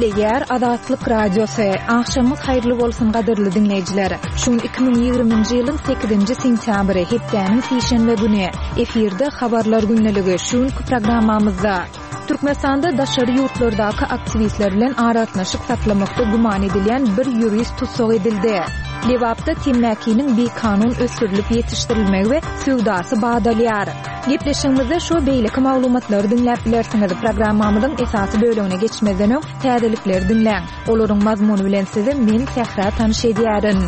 Gepleýär Azatlyk Radiosy. Agşamyňyz haýyrly bolsun gadyrly diňleýjiler. Şu gün 2020-nji ýylyň 8-nji sentýabry, hepdäniň sişenbe güni. Efirde Habarlar gündeligi. Şu günki programmamyzda Türkmenistanda daşary ýurtlardaky aktiwistler bilen aragatnaşyk saklamakda güman edilýän bir ýurist tussag edildi. Lebapda temmäkiniň bikanun ösdürilip ýetişdirilmegi we söwdasy badalýar. Gepleşigimizde şu we beýleki maglumatlary diňläp bilersiňiz. Programmamyzyň esasy bölegine geçmezden öň, täzelikleri diňläň. Olaryň mazmuny bilen sizi men, Sähra tanyş edýärin.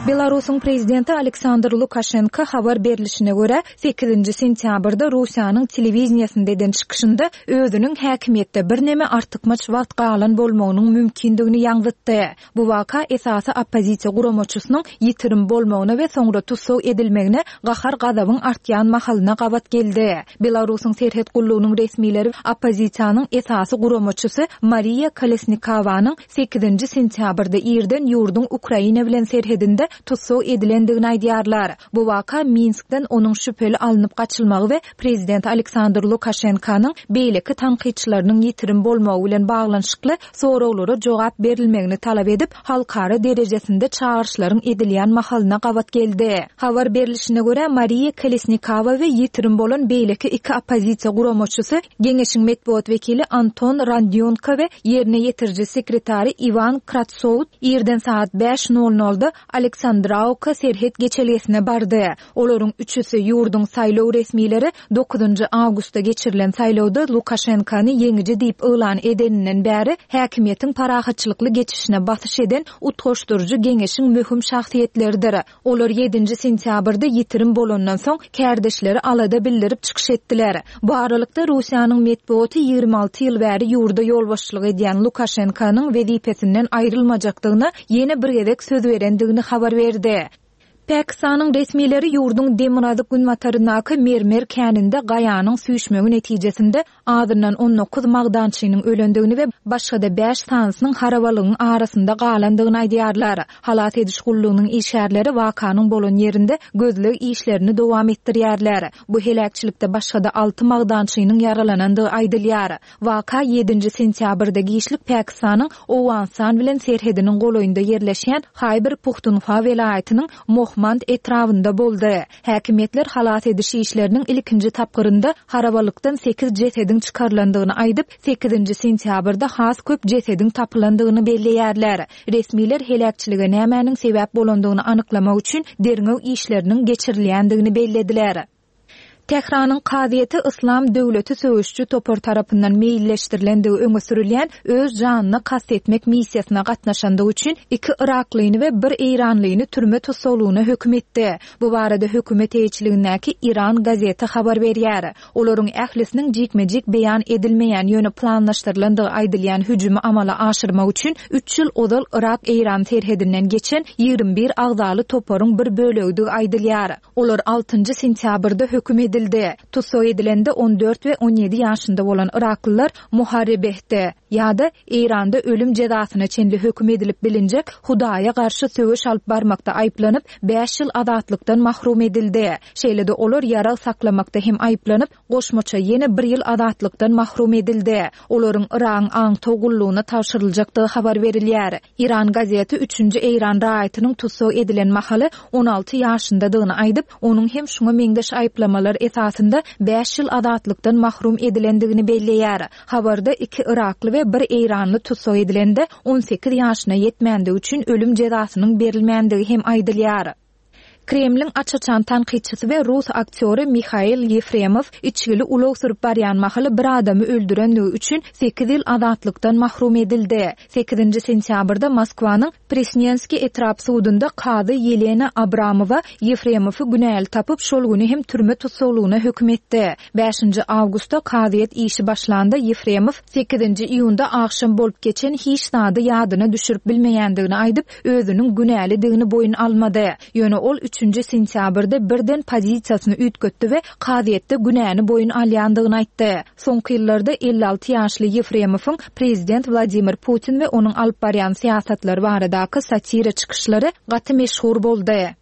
Belarusyň prezidenti Aleksandr Lukaşenko habar berlişine görä, sekizinji sentýabrda Russiýanyň telewideniýesinde eden çykyşynda özüniň häkimiýetde birneme artykmaç wagt galan bolmagynyň mümkindigini ýaňzytdy. Bu waka esasy oppozisiýa guramaçysynyň ýitirim bolmagyna we soňra tussag edilmegine gahar-gazabyň artýan mahalyna gabat geldi. Belarusyň serhet gullugynyň resmileri oppozisiýanyň esasy guramaçysy Mariýa Kolesnikowanyň sekizinji sentýabrda irden ýurduň Ukraina bilen serhedinde tussag edilendigini aýdýarlar. Bu waka Minskden onuň şübheli alnyp gaçylmagy we prezident Aleksandr Lukaşenkanyň beýleki tankytçylarynyň ýitirim bolmagy bilen baglanyşykly soraglara jogap berilmegini talap edip, halkara derejesinde çagyryşlaryň edilýän mahalyna gabat geldi. Habar berlişine görä, Mariýa Kolesnikowa we ýitirim bolan beýleki iki oppozisiýa guramaçysy, Geňeşiň metbugat wekili Anton Randýonko we ýerine ýetiriji sekretary Iwan Kratsout irden sagat bäş nol nolda Aleksandrawka serhet geçelgesine bardy. Olaryň üçüsi, ýurduň saýlaw resmileri dokuzynjy awgustda geçirilen saýlawda Lukaşenkony ýeňiji diýip yglan edeninden bäri häkimiýetiň parahatçylykly geçişine basyş eden Utgaşdyryjy geňeşiň möhüm şahsyýetleridir. Olar ýedinji sentýabrda ýitirim bolandan soň, kärdeşleri alada bildirip çykyş etdiler. Bu aralykda, Russiýanyň metbugaty 26 ýyl bäri ýurda ýolbaşçylyk edýän Lukaşenkonyň wezipesinden aýrylmajakdygyna ýene bir gezek söz berendigini habar berdi. Pakistanyň resmileri ýurduň demirgazyk-günbataryndaky mermer käninde gaýanyň süýşmegi netijesinde azyndan 19 magdançynyň ölendigini we başga-da bäş sanysynyň harabalygyň arasynda galandygyny aýdýarlar. Halas ediş gullugynyň işgärleri wakanyň bolan ýerinde gözleg işlerini dowam etdirýärler. Bu heläkçilikde başga-da alty magdançynyň ýaralanandygy aýdylýar. Waka ýedinji sentýabrda giçlik Pakistanyň Owganystan bilen serhediniň golaýynda ýerleşýän Haýber-Puhtunhwa welaýatynyň Mohmand etrabynda boldy. Häkimiýetler halas ediş işleriniň ilkinji tapgyrynda harabalykdan sekiz jesediň çykarylandygyny aýdyp, sekizinji sentýabrda has köp jesediň tapylandygyny belleýärler. Resmiler heläkçilige nämäniň sebäp bolandygyny anyklamak üçin derňew işleriniň geçirilýändigini bellediler. Tähranyň kazyýeti Yslam döwleti söweşiji topar tarapyndan meýilleşdirilendigi öňe sürülýän öz janyna kast etmek missiýasyna gatnaşandygy üçin iki yraklyny we bir eýranlyny türme tussaglygyna höküm etdi. Bu barada hökümet eýeçiligindäki Iran gazeti habar berýär. Olaryň ählisiniň jikme-jik beýan edilmeýän, ýöne planlaşdyrylandygy aýdylýan hüjümi amala aşyrmak üçin üç ýyl ozal Yrak-Eýran serhedinden geçen 21 agzaly toparyň bir bölegidigi aýdylýar. Olar altynjy sentýabrda höküm edildi. Tussag edilende 14 we 17 ýaşynda bolan yraklylar Muharrebehde, ýa-da Eýranda ölüm jezasyna çenli höküm edilip bilinjek Hudaýa garşy söweş alyp barmakda aýyplanyp, bäş ýyl azatlykdan mahrum edildi. Şeýle-de olar ýarag saklamakda hem aýyplanyp, goşmaça ýene bir ýyl azatlykdan mahrum edildi. Olaryň Yragyň aňtaw gullugyna tabşyryljakdygy habar berilýär. Iran gazeti üçünji eýran raýatynyň tussag edilen mahaly 16 ýaşyndadygyny aýdyp, onuň hem şuňa meňzeş aýyplamalar esasynda bäş ýyl azatlykdan mahrum edilendigini belleýär. Habarda iki yrakly we bir eýranly tussag edilende 18 ýaşyna ýetmändigi üçin ölüm jezasynyň berilmändigi hem aýdylýar. Kremliň aç-açan tankytçysy we rus aktýory Mihail Ýefremow içgili ulag sürüp barýan mahaly bir adamy öldürenligi üçin sekiz ýyl azatlykdan mahrum edildi. Sekizinji sentýabrda Moskwanyň Presnenskiý etrap sudunda kazy Ýelena Abramowa Ýefremowy günäli tapyp, şol güni hem türme tussaglygyna höküm etdi. Bäşinji awgustda kazyýet işi başlanda Ýefremow sekizinji iýunda agşam bolup geçen hiç zady ýadyna düşürip bilmeýändigini aýdyp, özüniň günälidigini boýun almady. Ýöne ol üçünji sentýabrda birden pozisiýasyny üýtgetdi we kazyýetde günäni boýun alýandygyny aýtdy. Soňky ýyllarda 56 ýaşly Ýefremowyň prezident Wladimir Putin we onuň alyp barýan syýasatlary baradaky satira çykyşlary gaty meşhur boldy.